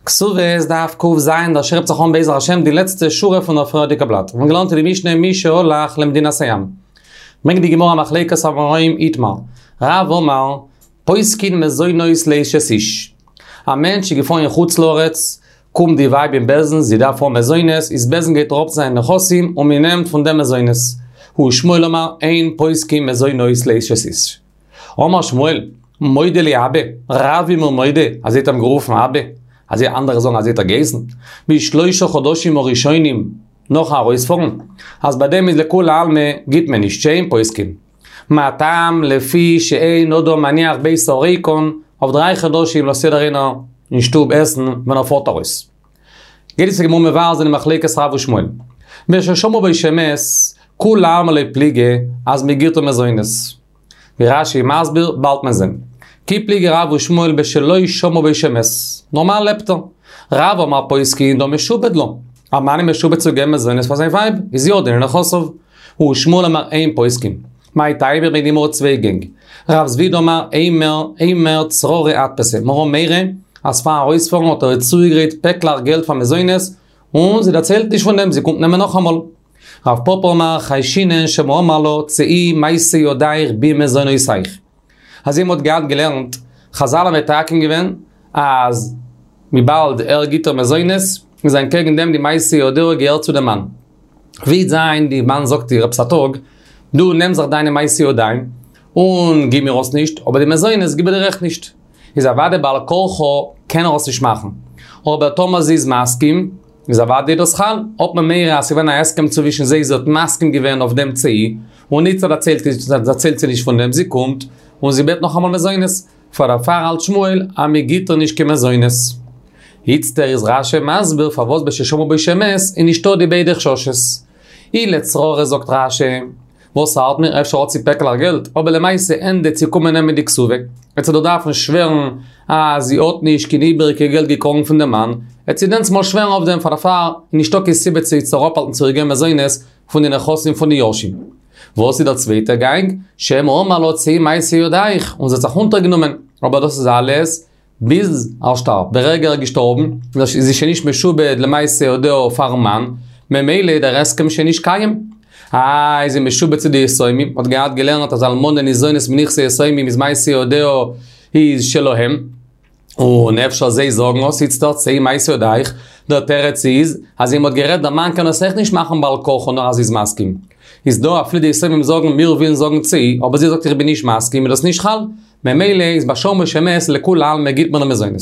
כתובות דף ק"ז, דער שיעור הייבט זיך אן בעזר השם די לעצטע שורה פון דער פריערדיגע בלאט. מיר האבן געלערנט אין די משנה מי שהלך למדינת הים. ברענגט די גמרא מחלוקת אמוראים איתמר. רב אמר, פוסקין מזונות לאשת איש. א מענטש איז געפארן אין חוץ לארץ, קומט די ווייב אין בית דין, זי דארף האבן מזונות, איז בית דין גייט אראפ זיינע נכסים און מען נעמט פון דעם מזונות. ושמואל אמר, אין פוסקין מזונות לאשת איש. אמר שמואל, מודה לי אבא, רב איז מיר מודה, אזוי האט ער אים גערופן אבא, אזוי אנדערע זאגן אזוי האט ער געהייסן, בשלושה חדשים הראשונים נאכן ארויספארן, אז ביי דעם איז לכולי עלמא גיט מען נישט שאין פוסקין. מה טעם לפי שאין אדם מניח ביתו ריקן, אויף דריי חדשים לאזט יעדער איינער אין שטוב עסן ווען ער פארט ארויס. גייט די גמרא מבאר זיין די מחלוקת רב ושמואל. בששמעו בו שמת, כולי עלמא לא פליגי אז מ'גיט איר מזונות. ווי רש"י מסביר, באלד מען זען. כי פליגי רב ושמואל בשלא שמעו בו שמת. נארמאל לעבט ער. רב אמר פוסקין דהא משועבד לה. א מאן איז משועבד צו געבן מזונות פאר זיין ווייב, איז יא דינא נכסיו. ושמואל אמר אין פוסקין. מאי טעמא ברענגט די גמרא צוויי גענג. רב זביד אמר אימר אימר צררי אדפסה. מיר האבן מורא אז פאר ארויספארן האט ער איר צוגעגרייט פעקלעך געלט פאר מזונות, און זי דערציילט נישט פון דעם, זי קומט נעמען נאכאמאל. רב פפא אמר חיישינן שמא אמר לה צאי מעשה ידיך במזונותיך. אזוי מ'האט געהאט געלערנט, חזל האבן מתקן געווען אז וויבאלד ער גיט איר מזונות, איז אנטקעגן דעם די מעשה ידיה געהערט צו די מאן. ווי וועט זיין די מאן זאגט איר עפעס א טאג, דו נעם זיך דיינע מעשה ידיים און גיב מיר עס נישט, אבער די מזונות גיב איך דיר אויך נישט. איז אוודאי בעל כרחו קען ער עס נישט מאכן. אבער טאמער זי איז מסכים, איז אוודאי דאס חל, האט מען מורא אז ס'געווען א הסכם צווישן זיי זי האט מסכים געווען אויף דעם צאי, און איצטער דערציילט זי נישט פון דעם, זי קומט און זי בעט נאכאמאל מזונות, פאר דערפאר האלט שמואל אז מ'גיט איר נישט קיין מזונות. איצטער איז רש"י מסביר פארוואס בששמעו בו שמת איז נישטא די ביידע חששות. אי לצררי זאגט רש"י. וואס ארט מיר, אפשר האט זי פעקלעך געלט, אבער למעשה ענדע צו קומען נעמען די כתובה, וועט זי דאך דארפן שווערן אז זי האט נישט קיין איבעריגע געלט געקראגן פון דעם מאן, וועט זי דענסמאל שווערן אויף דעם פאר דערפאר איז נישטא קיין סיבה צו איצטער אפהאלטן צו איר געבן מזונות פון די נכסים פון די יורשים. וואס איז דער צווייטער גאנג? שמא אמר לה צאי מעשה ידיך, און זי האט זיך אונטערגענומען, אבער דאס איז אלעס ביז ער שטארבט, די רגע ער איז געשטארבן, איז זי שוין נישט משועבד למעשה ידיה פארן מאן, ממילא איז דער הסכם שוין נישט קיים. איי, איז זי משועבד צו די יתומים, מ'האט געהאט געלערנט אז אלמנה ניזונת מנכסי יתומים איז מעשה ידיה איז שלהם, און אפשר זיי זאגן אויס איצטערט צאי מעשה ידיך, דער תירוץ איז, אז ווי מ'האט גערעדט דער מאן קען עס אויך נישט מאכן בעל כרחו נאר אז זי איז מסכים. איז דא אפילו די יתומים זאגן מיר ווילן זאגן צאי, אבער זי זאגט איך בין נישט מסכים איז דאס נישט חל. ממילא איז בשמעו בו שמת לכולי עלמא גיט מען איר מזונות.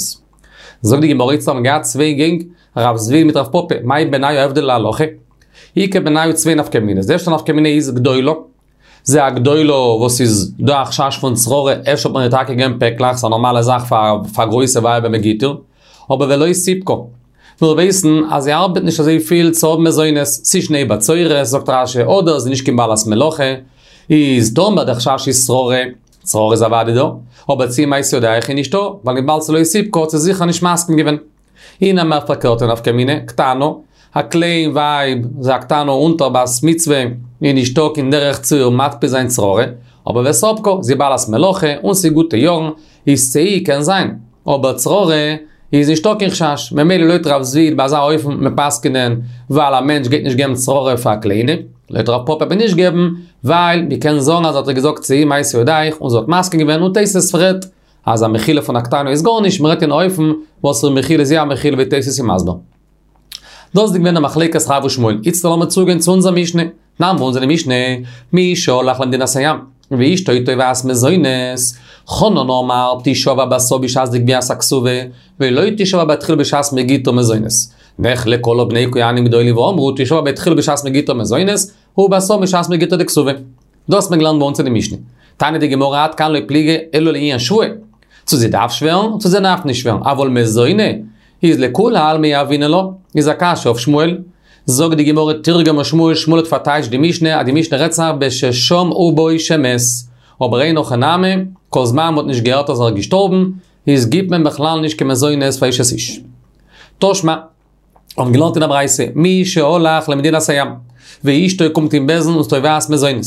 זאגט די גמרא איצט האבן געהאט צוויי גענג, רב זביד מיט רב פפא, מאי בינייהו הבדל להלכה? איכא בינייהו צוויי נפקא מינות, די ערשטע נפקא מינה איז גדולה, זה א גדולה וואס איז דא א חשש פון צררי, אפשר האט מען איר טאקע געגעבן פעקלעך, ס'איז א נארמאלע זאך פאר גרויסע ווייבער מען גיט איר, אבער ולא סיפקה. מיר ווייסן אז זי ארבעט נישט אזוי פיל צו האבן מזונות, ס'איז שני בצורת, זאגט רש"י, אדער זי איז נישט קיין בעלת מלאכה, איז טאמער דער חשש איז שררה, שררה איז אוודאי דא, אבער צאי מעשה ידיך איז נישטא, ווייל וויבאלד ס'לא סיפקה האט זי זיכער נישט מסכים געווען. אי נמי א פארקערטע נפקא מינה, קטנה, א קליין ווייב, זי א קטנה אונטער בת מצוה, איז נישטא קיין דרך צו איר מתפיס זיין שררה, אבער וספקה, זי בעלת מלאכה, און ס'איז גוטע יארן, איז צאי קען זיין, אבער שררה איז נישטא קיין חשש, ממילא לויט רב זביד ביי אזא אופן וועט מען פסק'נען ווייל א מענטש גייט נישט געבן שררה פאר א קליינע, לויט רב פפא וועט מען נישט געבן, ווייל מען קען זאגן אז ער האט איר געזאגט צאי מעשה ידיך און זי האט מסכים געווען און תוס' פרעגט אז א מחילה פון א קטנה איז גארנישט, מען רעדט אין א אופן וואס איר מחילה איז יא א מחילה ווי תוס' איז מסביר. דאס איז געווען די מחלוקת רב ושמואל, איצטער לאמיר צוגיין צו אונזער משנה. תנן ביי אונז אין די משנה, מי שהלך למדינת הים, ואשתו תובעת מזונות, חנן אמר תשבע בתו בשעת דגביית הכתובה, ולא תשבע בתחילה בשעת מ'גיט איר מזונות. נחלקו עליו בני כהנים גדולים ואמרו תשבע בתחילה בשעת מ'גיט איר מזונות, ובתו בשעת מ'גיט איר די כתובה. דאס האט מען געלערנט ביי אונז אין די משנה. טענה'ט די גמרא עד כאן לא פליגי אלא לעניין שבועה. צו זי דארף שווערן, צו זי דארף נישט שווערן, אבל מזוני, איז לכולי עלמא יהבינן לה, איז א קשיא אויף שמואל. זאגט די גמרא תרגמה שמואל, שמואל האט פארטייטשט די משנה אז די משנה רעדט זיך בששמעו בו שמת, אבער אין הכי נמי, כל זמן מ'האט נישט געהערט אז ער איז געשטארבן, איז גיבט מען בכלל נישט קיין מזונות פאר אשת איש. תא שמע. האבן געלערנט אין א ברייתא, מי שהלך למדינת הים, ואשתו קומט אין בית דין און תובעת מזונות.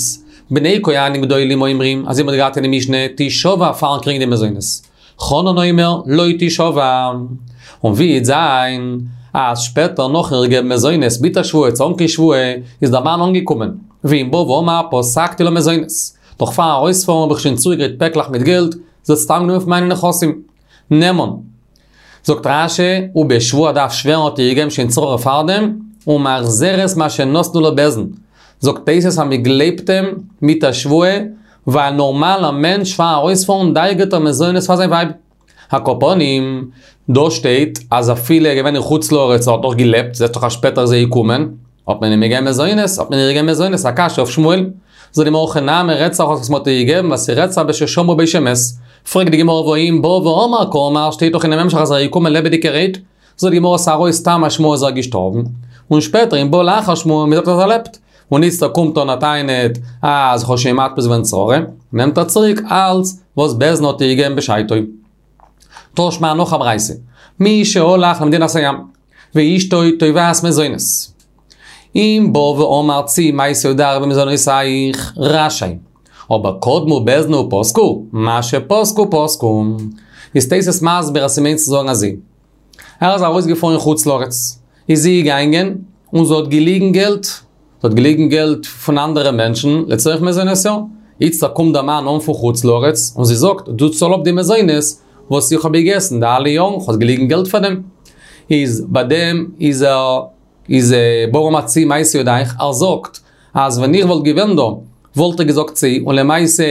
בני כהנים גדולים אומרים, אזוי מ'האט געהאט אין די משנה, תשבע פארן קריגן די מזונות. חנן אומר, לא תשבע. און ווי וועט זיין אז שפעטער נאכן איר געבן מזונות מיט א שבועה צו אן קיין שבועה איז דער מאן אנגעקומען, ואם בא ואמר פסקתי לה מזונות, נאך פארן ארויספארן האב איך שוין צוגעגרייט פעקלעך מיט געלט, זי האט סתם גענומען פון מיינע נכסים. נאמן. זאגט רש"י, ובשבועה דארף שווערן האט איר געגעבן שוין צרורה פארדעם, ומחזרת מה שנתנו לה בית דין. זאגט תוס' אז מ'גלייבט אים מיט א שבועה, ווייל נארמאל א מענטש פארן ארויספארן דאגה'ט ער מזונות פאר זיין ווייב. על כל פנים, דא שטייט אז אפילו ער איז געווען אין חוץ לארץ ער האט נאך געלעבט, זעסט דאך אז שפעטער איז ער געקומען, האט מען אים געגעבן מזונות, האט מען איר געגעבן מזונות, א קשיא אויף שמואל. זאגט די גמרא הכא נמי רעדט זיך וואס מ'האט איר געגעבן ווייל ס'רעדט זיך בששמעו בו שמת. פרעגט די גמרא והא אם בא ואמר קאמר שטייט דאך אינעם המשך אז ער איז געקומען לעבעדיגערהייט. זאגט די גמרא ס'ארויס סתם א שמועה אז ער איז געשטארבן, און שפעטער אם בא לאחר שמועה מ'זאגט אז ער לעבט. און איצטער קומט און ער טענה'ט אז כ'האב שוין מתפיס געווען צרורה, נעמט ער צוריק אלץ וואס בית דין האט איר געגעבן בשעתו. תא שמע נאך א ברייתא, מי שהלך למדינת הים, ואשתו תובעת מזונות. אם בא ואמר צאי מעשה ידיך במזונותיך, רשאי. אבער קדמו בית דין ופסקו, מה שפסקו פסקו. איז תוס' מסביר אז ס'מיינט צו זאגן אזוי. ער איז ארויסגעפארן אין חוץ לארץ, איז זי געגאנגען און זי האט געליגן געלט, זי האט געליגן געלט פון אנדערע מענטשן לצורך מזונותיה, איצטער קומט דער מאן אן פון חוץ לארץ און זי זאגט, דו צאל אפ די מזונות וואס איך האב געגעסן די אלע יארן, כ'האב געליגן געלט פאר דעם. איז ביי דעם איז ער איז בא ואמר צאי מעשה ידיך, ער זאגט אז ווען איך וואלט געווען דא וואלט איך געזאגט צאי, און למעשה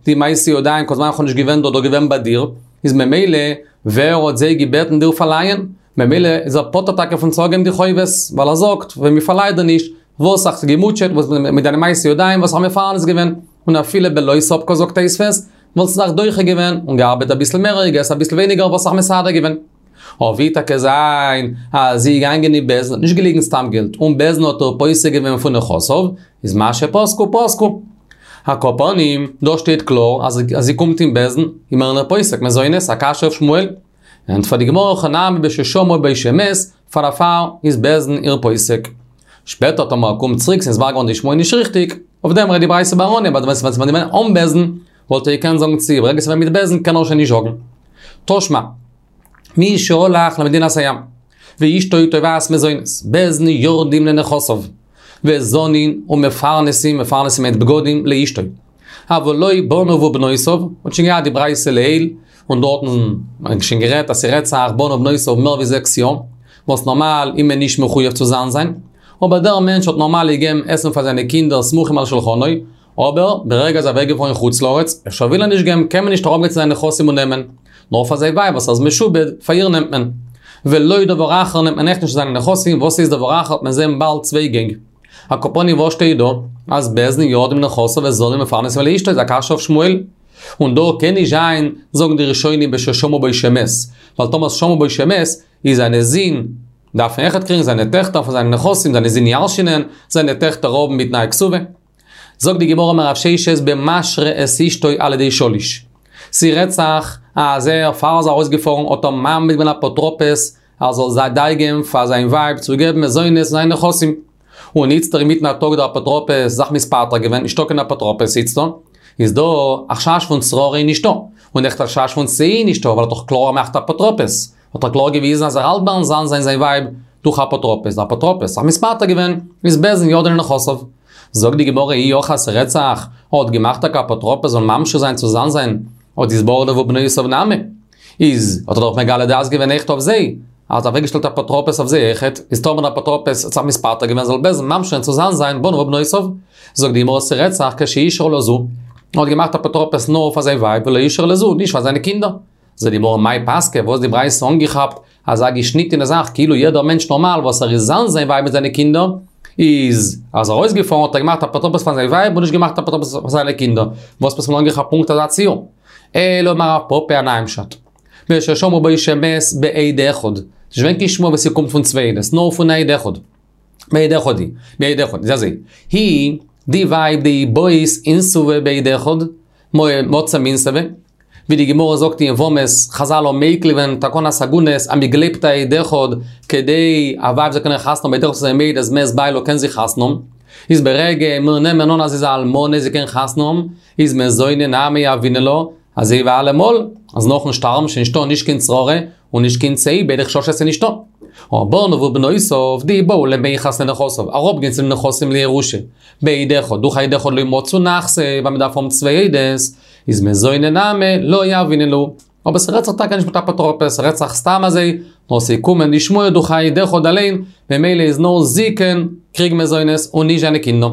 די מעשה ידיים כל זמן איך האב נישט געווען דא דאך געווען ביי דיר, איז ממילא ווער האט זיי געבעטן דיר פארלייען? ממילא איז ער פטור טאקע פון צוריקגעבן די חובות, ווייל ער זאגט ווען מען פארלייט דיר נישט, וואלסט זיך געמוטשעט וואס מיט דיינע מעשי ידיים וואלסט זיך מפרנס געווען, און אפילו בלא ספקה זאגט תוספות, וואלסט זיך דוחה געווען און געארבעט אביסל מער געגעסן אביסל ווייניגער וואלסט זיך מסדר געווען. אבער ווי טאקע זיין אז זי איז געגאנגען אין בית דין האט נישט געליגן סתם געלט און בית דין האט איר פוסק געווען פון נכסיו, איז מה שפסקו פסקו. על כל פנים, דא שטייט קלאר אז זי קומט אין בית דין, איז מען איר פוסק מזונות, א קשיא אויף שמואל. ענטפערט די גמרא הכא נמי בששמעו בו שמת, פאר דערפאר איז בית דין איר פוסק. שפעטער טאמער ער קומט צוריק ס'איז נתברר געווארן די שמועה נישט ריכטיג, אויף דעם רעדט די ברייתא ביים אנהייב אז ווען ס'ווען געווען אן בית דין וואלט ער געקענט זאגן צאי, ברגע ס'ווען מיט בית דין קען ער שוין נישט זאגן. תא שמע. מי שהלך למדינת הים, ואשתו תובעת מזונות, בית דין יורדים לנכסיו, וזנין ומפרנסים, מפרנסים מיינט בגדים, לאשתו. אבל לא בניו ובנותיו, מ'האט שוין געהאט די ברייתא לעיל, און דארטן האט מען שוין גערעדט אז ס'רעדט זיך בניו ובנותיו מער ווי זעקס יאר, וואס נארמאל איז מען נישט מחויב צו זן זיין, אבער דער מענטש האט נארמאל געגעבן עסן פאר זיינע קינדער סמוכים על שלחנו, אבער ברגע ער איז אוועקגעפארן אין חוץ לארץ, אפשר וויל ער נישט געבן, קען מען נישט אראפגיין צו זיינע נכסים און נעמען. נאר פאר זיין ווייב וואס ער איז משועבד, פאר איר נעמט מען. ולא דבר אחר נעמט מען אויך נישט זיינע נכסים, וואס איז דבר אחר האט מען זען באלד צוויי גענג. על כל פנים וואס שטייט דא? אז בית דין יורדים לנכסיו וזנין ומפרנסין לאשתו איז א קשיא אויף שמואל. און דא קען נישט זיין, זאגן די ראשונים בששמעו בו שמת, ווייל טאמער שמעו בו שמת, איז זיינע זין דארפן אויכעט קריגן זיינע טעכטער פון זיינע נכסים, זיינע זין ירש'נען, זיינע טעכטער האבן בתנאי כתובה. זאגט די גמרא אמר רב ששת במשרה את אשתו על ידי שליש. ס'רעדט זיך אז ער פאר ער איז ארויסגעפארן האט ער מעמיד געווען אפוטרופוס ער זאל זיי דאגה'ן פאר זיין ווייב צו געבן מזונות פון זיינע נכסים. און איצטער אינמיטן א טאג דער אפוטרופוס זיך מתפטר געווען, נישטא קיין אפוטרופוס איצטער, איז דא א חשש פון צרורה איז נישטא, און אויכעט א חשש פון צאי איז נישטא ווייל ער האט דאך קלאר געמאכט אפוטרופוס. האט ער קלאר געוויזן אז ער האלט ביים זן זיין זיין ווייב דורך אפוטרופוס, דער אפוטרופוס זיך מתפטר געווען, איז בית דין יורדין לנכסיו. זאגט די גמרא אי הכי אז ס'רעדט זיך, ער האט געמאכט טאקע אפוטרופוס זאל ממשיך זיין צו זן זיין, האט איז בניו ובנותיו נמי, איז האט ער דאך מגלה דעת געווען אויכעט אויף זיי, ער האט אוועקגעשטעלט אפוטרופוס אויף זיי אויכעט, איז טאמער דער אפוטרופוס האט זיך מתפטר געווען זאל בית דין ממשיך זיין צו זן זיין בניו ובנותיו. זאגט די גמרא ס'רעדט זיך כשאישר לזו, ער האט געמאכט אפוטרופוס נאר פאר זיין ווייב ולא אישר לזו, נישט פאר זיינע קינדער. זאגט די גמרא מאי פסקא, וואס האט די ברייתא אנגעכאפט אזא געשניטענע זאך כאילו יעדער מענטש נארמאל וואס ער איז זן זיין ווייב מיט זיינע קינדער, איז אז ער ארויסגעפארן האט ער געמאכט אפוטרופוס פאר זיין ווייב און נישט געמאכט אפוטרופוס פאר זיינע קינדער, וואס האט מען אנגעכאפט פונקט אזא ציור? אלא אמר רב פפא א נייעם פשט. בששמעו בו שמת בעד אחד, נישט געווען קיין שמועה וואס ס'קומט פון צוויי עדות, נאר פון א עד אחד. בעד אחד היא, בעד אחד, איז אזוי, היא, די ווייב דאי בעית אינסובי בעד אחד, מציא מינסבא, ווי די גמרא זאגט אין יבמות, חזל האבן מיקל געווען תקנת עגונות אז מ'גלייבט א עד אחד כדי א ווייב זאל קענען חתונה האבן עד אחד איז מעיד אז מת בעלה קען זי חתונה האבן, איז ברגע מיר נעמען אן אז זי איז א אלמנה זי קען חתונה האבן, איז מזוני נמי יהבינן לה, אזוי ווי אלעמאל, אז נאכן שטארבן שוין נישטא נישט קיין צרורה, און נישט קיין צא, ביידע חששות איז נישטא. בניו ובנותיו דאי בעו למיחס לנכסיו, אראפגיין צו די נכסים לירושה. בעד אחד, דורך א עד אחד לא מצו נכסי, ווייל מ'דארף האבן צוויי עדות, איז מזוני נמי לא יהבינן להו. אבער ס'רעדט זיך טאקע נישט מיט אפוטרופוס, ס'רעדט זיך סתם אזוי, נאר ס'איז געקומען די שמועה דורך א עד אחד אליין, ממילא איז נאר זי קען קריגן מזונות און נישט זיינע קינדער.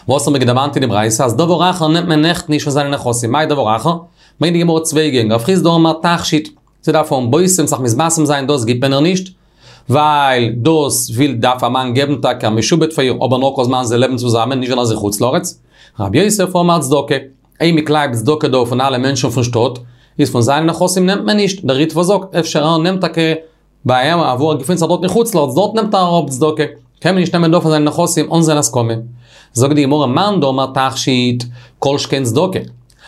וואס האבן מיר געדערמאנט אין די ברייתא אז דבר אחר נעמט מען עכט נישט פון זיינע נכסים, מאי דבר אחר? ברענגט די גמרא צוויי גענג, רב חסדא אמר תכשיט, זי דארף האבן בושם זיך מתבשם זיין דאס גיבט מען איר נישט, ווייל דאס וויל דארף א מאן געבן טאקע א משועבד פאר איר אבער נאר כל זמן זיי לעבן צוזאמען נישט ווען ער איז אין חוץ לארץ. רב יוסף אמר צדקה, אויב מ'קלייבט צדקה דא פון אלע מענטשן פון שטאט, איז פון זיינע נכסים נעמט מען נישט, דער ריטב"א זאגט אפשר ער נעמט טאקע ביי אים אוואו ער געפינט זיך דארט אין חוץ לארץ דארט נעמט ער אראפ צדקה, קען מען נישט נעמען דא פון זיינע נכסים אן זיין הסכמה. זאגט די גמרא מאן דאמר תכשיט, כל שכן צדקה.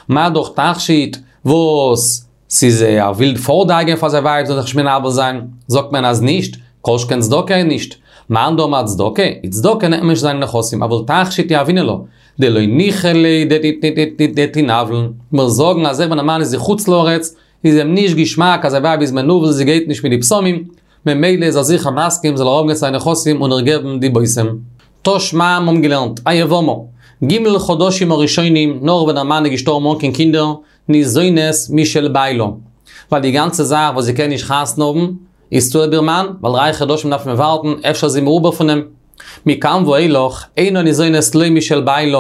מה דאך תכשיט וואס ס'איז ער וויל פארט דאגה'ן פאר זיין ווייב זאל זיך נישט מנוול זיין, זאגט מען אז נישט, כל שכן צדקה נישט. מאן דאמר צדקה, איז צדקה נעמט מען נישט זיינע נכסים, אבל תכשיט יהבינן לה, דלא ניחא ליה דתינוול. מיר זאגן אז אויב ווען א מאן איז אין חוץ לארץ, איז אים נישט געשמאק אז זיין ווייב איז מנוול זי גייט נישט מיט די בשמים, ממילא איז ער זיכער מסכים זאל אראפגיין צו זיינע נכסים און איר געבן די בושם. תא שמע מיר האבן געלערנט, היבמה, ג' חדשים הראשונים נאך ווען דער מאן איז געשטארבן אן קיין קינדער, ניזונת משל בעלה. ווייל די גאנצע זאך וואס זי קען נישט חתונה האבן, איז צוליב איר מאן, ווייל דריי חדשים דארף מען ווארטן, אפשר איז זי מעובר פון אים. מכאן ואילך, אינה ניזונת לא משל בעלה,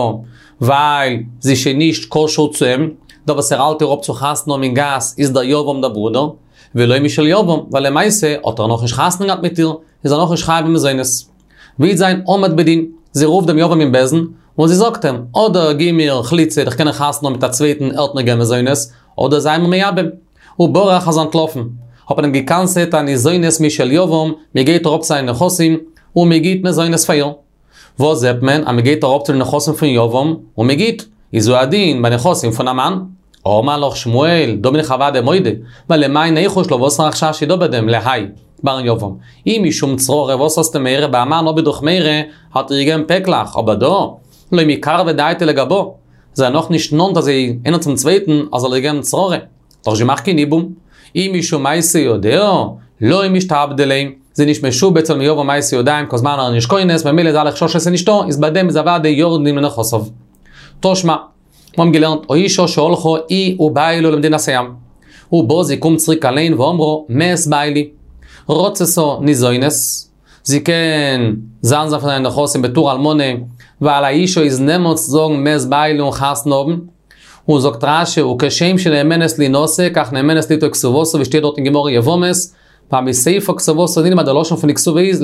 ווייל זי איז שוין נישט קשור צו אים, דער וואס ער האלט איר אפ צו חתונה האבן אין גאס איז דער יבם דער ברודער, ולא משל יבם, ווייל למעשה האט ער נאכנישט חתונה געהאט מיט איר, איז ער נאכנישט חייב במזונות. ווי וועט זיין עמד בדין, זי רופט דעם יבם אין בית דין, און זי זאגט אים, אדער גיב מיר חליצה איך קען חתונה האבן מיט א צווייטן ער וועט מיר געבן מזונות, אדער זיי מיר מייבם. וברח איז אנטלאפן. האט מען אים געקנס'עט אז ניזונת משל יבם, מען גייט אראפ צו זיינע נכסים, און מען גיט מזונות פאר איר. וואס זעט מען? אז מען גייט אראפ צו די נכסים פון יבם, און מען גיט. איז הוא הדין ביי נכסים פון א מאן. אמר לך שמואל, דא בין איך אוודאי מודה, ווייל למאי ניחוש לה וואסערע חשש איז דא ביי דעם, להאי, ביים יבם. אי משום צררי וואס האסטו מורא, ביי א מאן האב איך דאך מורא, האט ער איר געגעבן פעקלעך, אבער דא, לא מיקרבא דעתיה לגבה, זיי נאך נישט נאנט אזוי איינער צום צווייטן אז זאל איר געבן צררי. דאך נישט געמאכט קיין יבום. אי משום מעשה ידיה, לא משתעבדא ליה, זי איז נישט משועבד צום יבם מעשה ידיים כל זמן ער איז נישט כונס, ממילא איז אלע חששות איז נישטא, איז ביי דעם איז אוודאי יורדים לנכסיו. תא שמע, מיר האבן געלערנט האשה שהלכה היא ובעלה למדינת הים. ובאה זי קומט צוריק אליין ואמרה מת בעלי. רצתה ניזונת, זי קען זן זיין פון זיינע נכסים בתור אלמנה, ווייל א אישה איז נאמן צו זאגן מת בעלי און חתונה האבן. און זאגט רש"י וכשם שנאמנת להינשא כך נאמנת ליטול כתובתה ווי שטייט דארט אין גמרא יבמות, ווייל מסיפא כתובתה נלמד די לשון פון די כתובה איז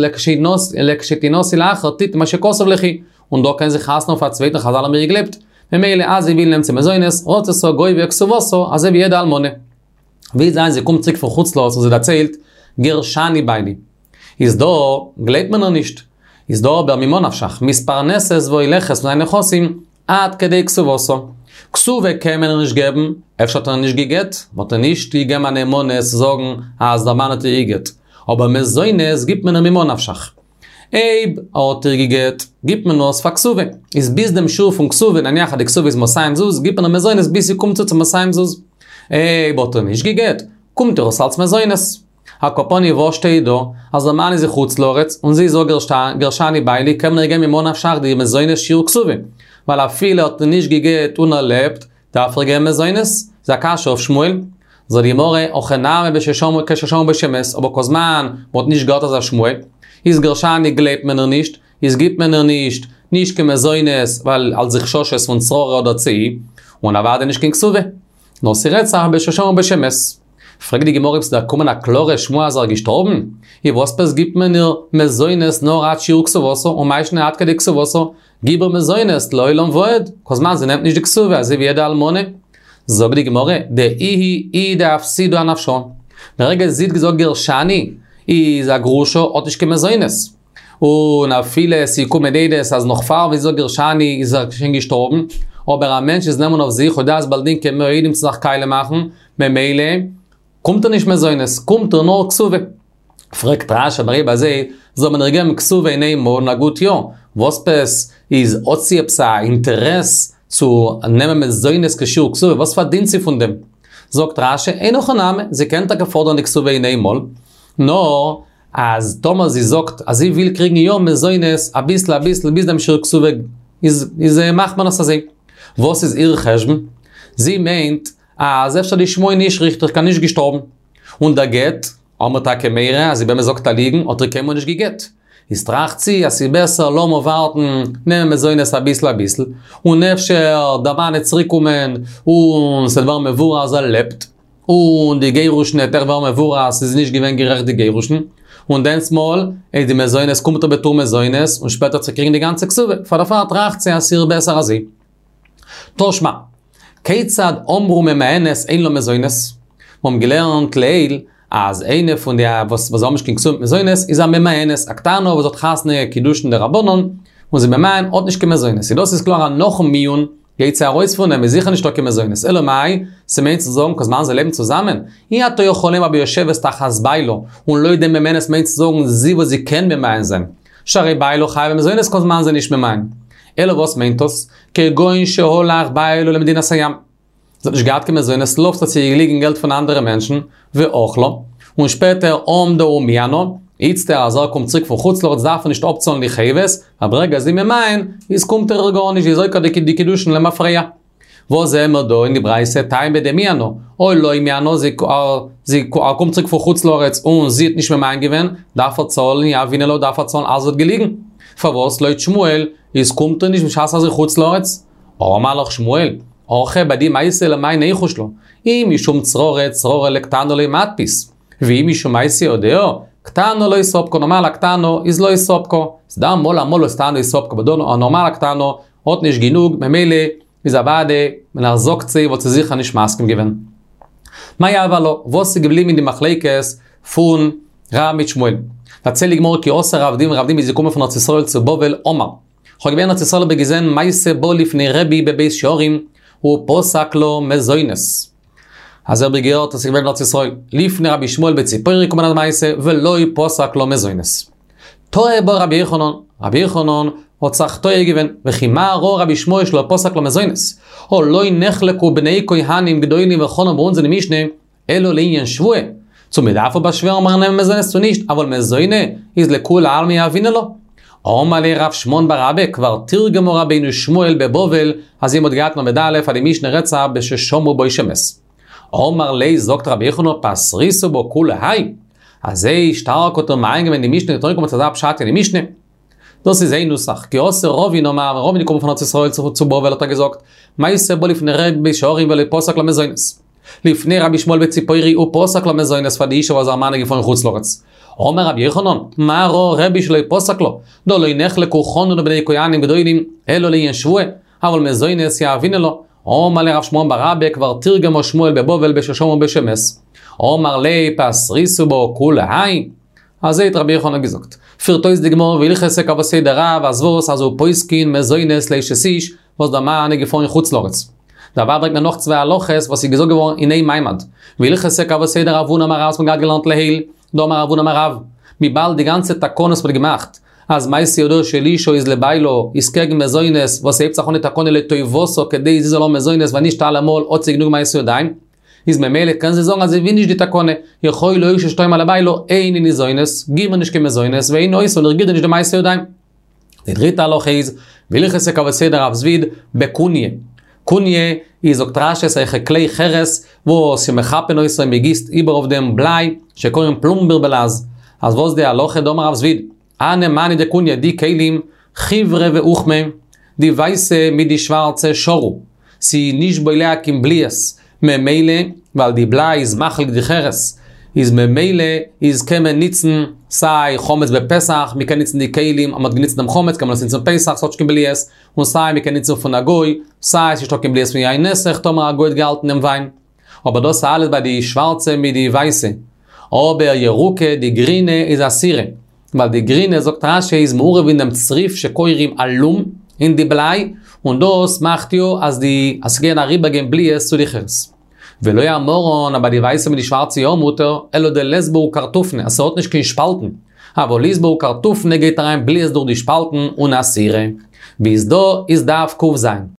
לכשתנשאי לאחר תתני מה שכתוב ליכי, און דא קען זי חתונה האבן פאר א צווייטן חזל האבן איר געגלייבט, ממילא אז זי וויל נעמט זי מזונות, רצתה גובה כתובתה, אזוי ווי יעדע אלמנה. ווי זיין זי קומט צוריק פון חוץ לארץ און זי דערציילט, גרשני בעלי. איז דא, גלייבט מען איר נישט. איז דא אבער ממה נפשך, מתפרנסת והולכת פון זיינע נכסים, עד כדי כתובתה. כתובה קען מען איר נישט געבן, אפשר האט ער איר נישט גע'גט, מ'האט איר נישט געגעבן א נאמנות צו זאגן אז דער מאן האט איר גע'גט. אבער מזונות גיבט מען איר ממה נפשך. אויב ער האט איר גע'גט, גיבט מען עס פאר כתובה. איז ביז דעם שיעור פון כתובה, נניח אז די כתובה איז מאתיים זוז, גיבט מען איר מזונות ביז ס'קומט צו צו מאתיים זוז. אויב האט ער נישט גע'גט, קומט איר עס אלס מזונות. על כל פנים וואס שטייט דא? אז דער מאן איז אין חוץ לארץ, און זי זאגט גרשני בעלי קען מען איר געבן ממה נפשך די מזונות שיעור כתובה. ווייל אפילו האט ער נישט גע'גט און ער לעבט, דארף ער געבן מזונות. איז א קשיא אויף שמואל. זאגט די גמרא, הכא נמי בששמעו כששמעו בו שמת, אבער כל זמן מ'האט נישט געהאט אזא שמועה, איז גרשני גלייבט מען איר נישט, איז גיבט מען איר נישט, נישט קיין מזונות, ווייל אלס די חששות פון צררה אדער צאי, און אוודאי נישט קיין כתובה. נאר ס'רעדט זיך בששמעו בו שמת. פרעגט די גמרא אויב ס'איז דערקומען א קלארע שמועה אז ער איז געשטארבן, איז וואס עפעס גיבט מען איר מזונות נאר עד שיעור כתובתה, ומאי שנא עד כדי כתובתה, גיב איר מזונות לעולם ועד, כל זמן זי נעמט נישט די כתובה אזוי ווי יעדע אלמנה. זאגט די גמרא, דאיהי היא דאפסידה אנפשה. ברגע זי האט געזאגט גרשני, איז א גרושה האט נישט קיין מזונות. און אפילו עס איז געקומען עדות אז נאך פאר ווי זי זאגט גרשני איז ער שוין געשטארבן, אבער א מענטש איז נאמן אויף זיך הודאת בעל דין כמאה עדים צו זיך קאליע מאכן, ממילא קומט איר נישט מזונות, קומט איר נאר כתובה. פרעגט רש"י אבער אויב אזוי זאל מען איר געבן כתובה אין איין מאל און א גוט יאר, וואס עפעס איז האט זי עפעס א אינטערעס צו נעמען מזונות כשיעור כתובה, וואס פארדינט זי פון דעם? זאגט רש"י, אין הכי נמי, זי קען טאקע פאדערן די כתובה אין איינמאל, נאר אז טאמער זי זאגט אז זי וויל קריגן יא מזונות אביסל אביסל ביז דעם שיעור כתובה איז איז מאכט מען עס אזוי. וואס איז איר חשבון? זי מיינט אז אפשר די שמועה נישט ריכטיג קיין נישט געשטארבן. און דער גט, האמיר טאקע מורא אז זי באמת זאגט א ליגן האט איר קיינמאל נישט געגעט. איז טראכט זי אז ס'איז בעסער לאמיר ווארטן, נעמען מזונות אביסל אביסל, און אפשר דער מאן עט צוריק קומען און ס'וועט ווערן מבואר אז ער לעבט, און די גירושין עט אויך ווערן מבואר אז ס'איז נישט געווען גערעכט די גירושין, און דענסמאל איז די מזונות קומט איר בתור מזונות און שפעטער צו קריגן די גאנצע כתובה, פאר דערפאר טראכט זי אז ס'איז בעסער אזוי. תא שמע, כיצד אמרו ממאנת אין לה מזונות? מיר האבן געלערנט לעיל אז איינע פון די וואס וואס האבן נישט קיין כתובה מיט מזונות איז א ממאנת, א קטנה וואס האט חתונה קידושין דרבנן, און זי ממאן האט נישט קיין מזונות, איז דאס איז קלאר אז נאכן מיאון גייט זי ארויס פון אים איז זיכער נישטא קיין מזונות, אלא מאי, ס'מיינט צו זאגן כל זמן זיי לעבן צוזאמען, אי אתה יכול לומר ביושבת תחת בעלה, און לויט דעם ממאנת מיינט צו זאגן זי וואס זי קען ממאן זיין, שהרי בעלה חייב במזונות כל זמן זי נישט ממאן. אלא וואס מיינט דאס? כגון שהלך בעלה למדינת הים. זי האט נישט געהאט קיין מזונות לווה האט זי געליגן געלט פון אנדערע מענטשן, ואכלה, און שפעטער עמדה ומיאנה, איצטער אז ער קומט צוריק פון חוץ לארץ דארף ער נישט אפצאלן די חובות, ווייל ברגע זי ממאן, איז קומט איר גארנישט זי איז עוקר די קידושין למפרע. וואס זעהן מיר דא אין די ברייתא טעמא דמיאנה, או לא מיאנה, זי זי ער קומט צוריק פון חוץ לארץ און זי האט נישט ממאן געווען, דארף ער צאלן יהבינן לה דארף ער צאלן אז זי האט געליגן. פארוואס לויט שמואל איז קומט איר נישט בשעת אז חוץ לארץ? אמר לך שמואל, הכא ביי די מעשה למאי ניחוש לה, אי משום צררי צררי לקטנה לא מתפיס, ואי משום מעשה ידיה, קטנה לא ספקה, נארמאל א קטנה איז לא ספקה, ס'דא אמאל אמאל וואס קטנה איז ספקה, אבער דא א נארמאלע קטנה האט נישט גענוג, ממילא איז אוודאי ווען ער זאגט זי וואלט זי זיכער נישט מסכים געווען. מאי הוה עלה, וואס איז געבליבן אין די מחלוקת פון רב מיט שמואל? דערציילט די גמרא כי אתא רב דימי, רב דימי איז געקומען פון ארץ ישראל צו בבל, אמר, כ'האב געווען אין ארץ ישראל האב איך געזען מעשה בא לפני רבי בבית שערים, ופסק לה מזונות. אזוי האב איך געהערט אז ס'איז געווען אין ארץ ישראל, לפני רבי ישמעאל בציפורי קומען א מעשה, ולא פסק לה מזונות. טעה בה רבי יוחנן, רבי יוחנן האט זיך טועה געווען, וכי מה ראה רבי ישמעאל שלא פסק לה מזונות? הא לא נחלקו בני כהנים גדולים וחנן ביי אונז אין די משנה, אלא לעניין שבועה, צו מען דארף איר באשווערן ביים נעמען מזונות צו נישט, אבל מזוני איז לכולי עלמא יהבינן לה. אמר ליה רב שמעון בר אבא, כבר תרגמה רבינו שמואל בבבל, אזוי מ'האט געהאט אין עמוד א' אז די משנה רעדט זיך בששמעו בו שמת. אמר ליה זאגט רבי יוחנן פתריתו בה כולי האי, אזוי שטארק האט ער מעיין געווען אין די משנה האט ער אנגעקומען צו אזא פשט אין די משנה. דאס איז איין נוסח, כי אתא רבין אמר, ווען רבין איז געקומען פון ארץ ישראל צו בבל האט ער געזאגט, מעשה בא לפני רבי בבית שערים ולא פסק לה מזונות. לפני רבי ישמעאל בציפורי ופסק לה מזונות פאר די אישה וואס איר מאן איז געפארן חוץ לארץ. אמר רבי יוחנן, מה ראה רבי שלא פסק לה, דהא לא נחלקו חנן ובני כהנים גדולים, אלא לעניין שבועה, אבל מזונות יהבינן לה. אמר ליה רב שמעון בר אבא כבר תרגמה שמואל בבבל בששמעו בו שמת. אמר ליה פתריתו בה כולי האי. אזוי האט רבי יוחנן געזאגט. פירט אויס די גמרא והלכתא כוותיה דרב אז וואס אז ופוסקין מזונות לאשת איש וואס דער מאן איז געפארן אין חוץ לארץ. דערביי ברענגט מען נאך צוויי הלכות וואס איז געזאגט געווארן אין איין מעמד. והלכתא כוותיה דרב הונא אמר רב וואס מ'האט געהאט געלערנט לעיל, דאמר רב הונא אמר רב, וויבאלד די גאנצע תקנות וואס מ'האט געמאכט אז מעשה ידיה של אישה איז לבעלה איז קעגן מזונות וואס ס'הייבט זיך אן די תקנה לטובתה כדי זי זאל האבן מזונות ווייל נישט אלעמאל האט זי גענוג מעשה ידיים, איז ממילא קען זי זאגן אז זי וויל נישט די תקנה, יכולה האשה שתאמר לבעלה, איני ניזונת, גיב מיר נישט קיין מזונות, ואיני עושה און איך גיב דיר נישט די מעשה ידיים. די דריטע הלכה איז, והלכתא כוותיה דרב זביד, בקוניא. קוניא איז זאגט רש"י אזעלכע כלי חרס וואס שמחפין אותו מ'גיסט איבער אויף דעם בליי, שקורין פלומביר בלעז. אז וואס די הלכה דאמר רב זביד, הני מאני דקוניא די כלים, חיוורא ואוכמא, די ווייסע מיט די שווארצע שרו, ס'איז נישט בולע קיין בליעות, ממילא ווייל די בליי איז מחליק די חרס, איז ממילא איז קען מען ניצן סיי חמץ בפסח, מ'קען ניצן די כלים אז מ'האט געניצט דעם חמץ קען מען עס ניצן פסח ס'האט נישט קיין בליעות, און סיי מ'קען ניצן פון א גוי, סיי ס'נישטא קיין בליעות פון יין נסך טאמער א גוי האט געהאלטן דעם וויין. אבער דאס אלעס ביי די שווארצע מיט די ווייסע. אבער ירוקא די גרינע איז אסירא. ווייל די גרינע זאגט רש"י איז מעורב אין דעם צריף שקוראים אלום אין די בליי, און דאס מאכט יא אז די אז ס'קען אריבערגיין בליעות צו די חרס. ולא אמרן אז ביי די ווייסע מיט די שווארצע יא מותר, אלא דלית בהו קרטופני אז ס'האט נישט קיין שפאלטן, אבל אית בהו קרטופני גייט אריין בליעות דורך די שפאלטן און אסירא. ביז דא איז דף ק"ז.